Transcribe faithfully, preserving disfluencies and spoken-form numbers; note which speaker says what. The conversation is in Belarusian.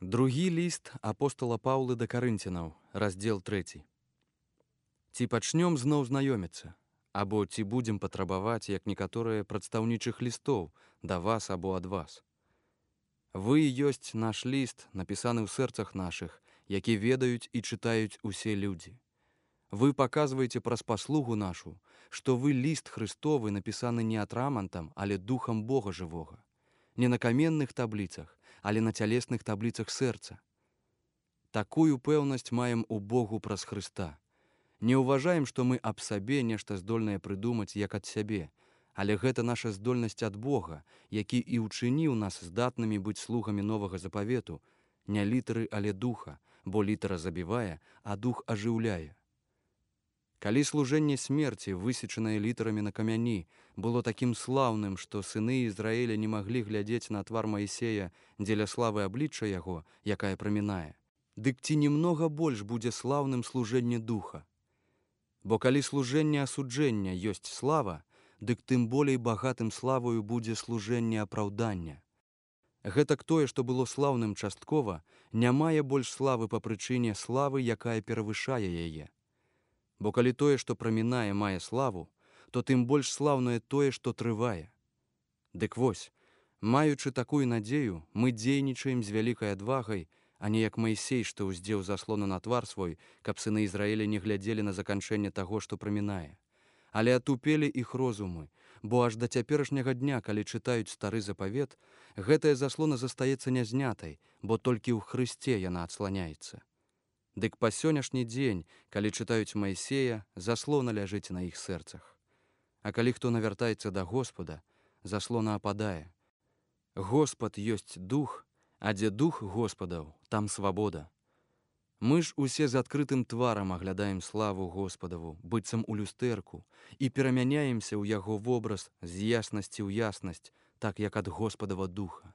Speaker 1: Другі ліст апостала Паўлы да карынцянаў, раздзел трэці. Ці пачнём зноў знаёміцца, або ці будзем патрабаваць, як некаторыя прадстаўнічых лістоў, да вас або ад вас. Вы ёсць наш ліст, напісаны ў сэрцах нашых, які ведаюць і чытаюць усе людзі. Вы паказваеце праз паслугу нашу, што вы ліст Христовы напісаны не атрамантам, але духам Бога жывога. Не на каменных табліцах, але на цялесных табліцах сэрца. Такую пэўнасць маем у Богу праз Хрыста. Не ўважаем, што мы аб сабе нешта здольныя прыдумаць, як ад сябе, але гэта наша здольнасць ад Бога, які і ўчыніў нас здатнымі быць слугамі новага запавету, не літары, але духа, бо літара забівае, а дух ажыўляе. Калі служэнне смерці, высечанае літарамі на камяні, было такім слаўным, што сыны Ізраіля не маглі глядзець на твар Маісея дзеля славы аблічча яго, якая прамінае, дык ці немнога больш будзе слаўным служэнне духа? Бо калі служэнне асуджэння ёсць слава, дык тым болей багатым славою будзе служэнне апраўдання. Гэтак тое, што было слаўным часткова, не мае больш славы па прычыне славы, якая перавышае яе. Бо калі тое, што прамінае, мае славу, то тым больш слаўнае тое, што трывае. Дык вось, маючы такую надзею, мы дзейнічаем з вялікай адвагай, а не як Маісей, што ўздзеў заслону на твар свой, каб сыны Ізраіля не глядзелі на заканчэнне таго, што прамінае. Але атупелі іх розумы, бо аж да цяперашняга дня, калі чытаюць стары запавет, гэтая заслона застаецца нязнятай, бо толькі ў Хрысце яна адсланяецца. Дык па сённяшні дзень, калі чытаюць Маісея, заслона ляжыць на іх сэрцах. А калі хто навяртаецца да Господа, заслона ападае. Господ ёсць дух, а дзе дух Господаў, там свабода. Мы ж усе з адкрытым тварам аглядаем славу Господаву, быццам у люстэрку, і перамяняемся ў яго вобраз з яснасці ў яснасць, так як ад Господава духа.